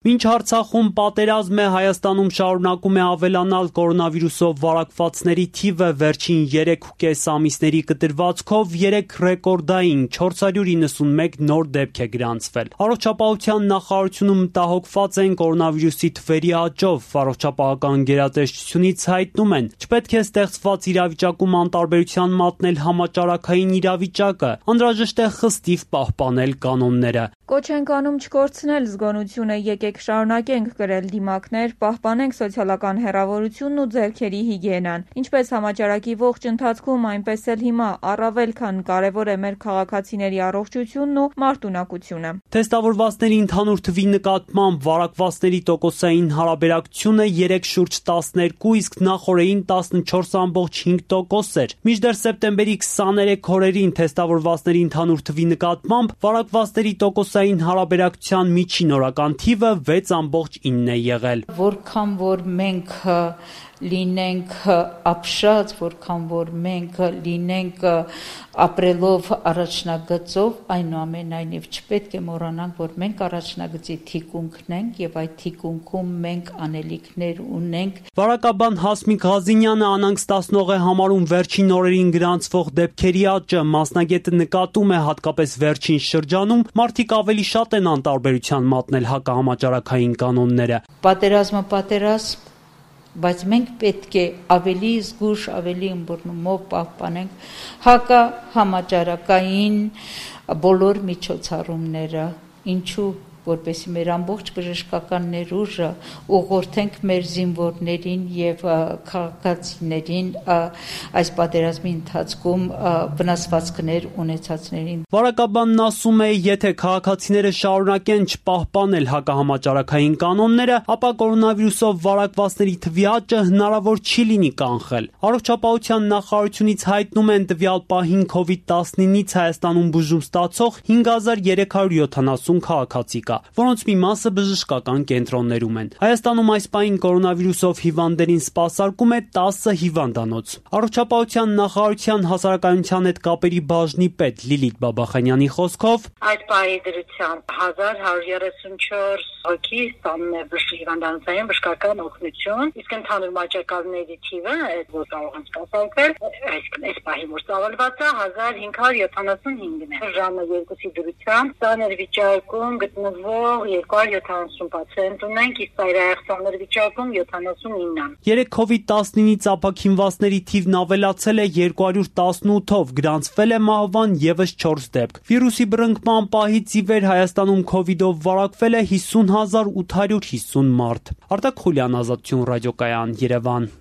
Մինչ Արցախում պատերազմ է, Հայաստանում շարունակում է ավելանալ կորոնավիրուսով վարակվածների թիվը, վերջին 3.5 ամիսների կտրվածքով 3 ռեկորդային 491 նոր դեպք է գրանցվել։ Առողջապահության նախարարությունում մտահոգված են կորոնավիրուսի թվերի աճով։ Առողջապահական գերատեսչությունից հայտնում են, չպետք է ստեղծված իրավիճակում անտարբերության մատնել համաճարակային իրավիճակը, անհրաժեշտ է խստիվ պահպանել կանոնները։ Կոչ ենք անում չկորցնել զգոնությունը, եկեք շարունակենք կրել դիմակներ, պահպանենք սոցիալական հեռավորությունն ու ձեռքերի հիգիենան։ Ինչպես համաճարակի ողջ ընթացքում, այնպես էլ հիմա առավել քան կարևոր է մեր քաղաքացիների առողջությունն ու մարտունակությունը։ Թեստավորվածների ընդհանուր թվի նկատմամբ վարակվածների տոկոսային հարաբերակցությունը 3/12, իսկ նախօրեին 14.5% էր։ Մինչդեռ սեպտեմբերի 23 օրերին թեստավորվածների ընդհանուր թվի նկատմամբ վարակվածների տոկոսային հարաբերակցության միջին օրական թիվը 6.9 է եղել։ Որքան որ մենք լինենք ապշած, որքան որ մենք լինենք ապրելով առաջնագծով, այնուամենայնիվ չպետք է մոռանանք, որ մենք առաջնագծի թիկունքն ենք եւ այդ թիկունքում մենք անելիքներ ունենք։ Վարակաբան Հասմիկ Ղազինյանը անհանգստացնող է համարում վերջին օրերին գրանցվող դեպքերի աճը։ Մասնագետը նկատում է, հատկապես վերջին շրջանում մարդիկ ավելի շատ են անտարբերության մատնել հակահամաճարակային կանոնները։ Պատերազմ, բայց մենք պետք է ավելի զգուշ, ավելի ըմբռնումով պահպանենք հակահամաճարակային բոլոր միջոցառումները, ինչու որպեսզի մեր ամբողջ բժշկական ներուժը ուղղորդենք մեր զինվորներին եւ քաղաքացիներին այս պատերազմի ընթացքում վնասվածքներ ունեցածներին։ Վարակաբանն ասում է, եթե քաղաքացիները շարունակեն չպահպանել հակահամաճարակային կանոնները, ապա կորոնավիրուսով վարակվածների թվի աճը հնարավոր չի լինի կանխել։ Առողջապահության նախարարությունից հայտնում են տվյալ պահին COVID-19-ից Հայաստանում բուժում ստացող 5370 քաղաքացի կա, որոնց մի մասը բժշկական կենտրոններում են։ Հայաստանում այս պահին կորոնավիրուսով հիվանդներին սպասարկում է 10 հիվանդանոց։ Առողջապահության նախարարության հասարակայնության հետ կապերի բաժնի պետ Լիլիթ Բաբախանյանի խոսքով այդ պահի դրությամբ 1134 հոգի ստանում է հիվանդանոցային բժշկական օգնություն, իսկ ընդհանուր մահճակալների թիվը, որ կարող են սպասարկվել, այսինքն այս պահի որ ծավալված է 1575-ն է։ Ժամը 2-ի դրությամբ սաներ վիճակում գտնվող 270 պացիենտ ունենք, իսկ ծայրահեղձանների վիճակում 79։ Երեք COVID-19-ից ապաքինվածների թիվն ավելացել է 218-ով, գրանցվել է մահվան ևս 4 դեպք։ Վիրուսի բռնկման պահից ի վեր Հայաստանում COVID-ով վարակվել է 50850 մարդ։ Արտակ Խուլյան, Ազատություն ռադիոկայան, Երևան։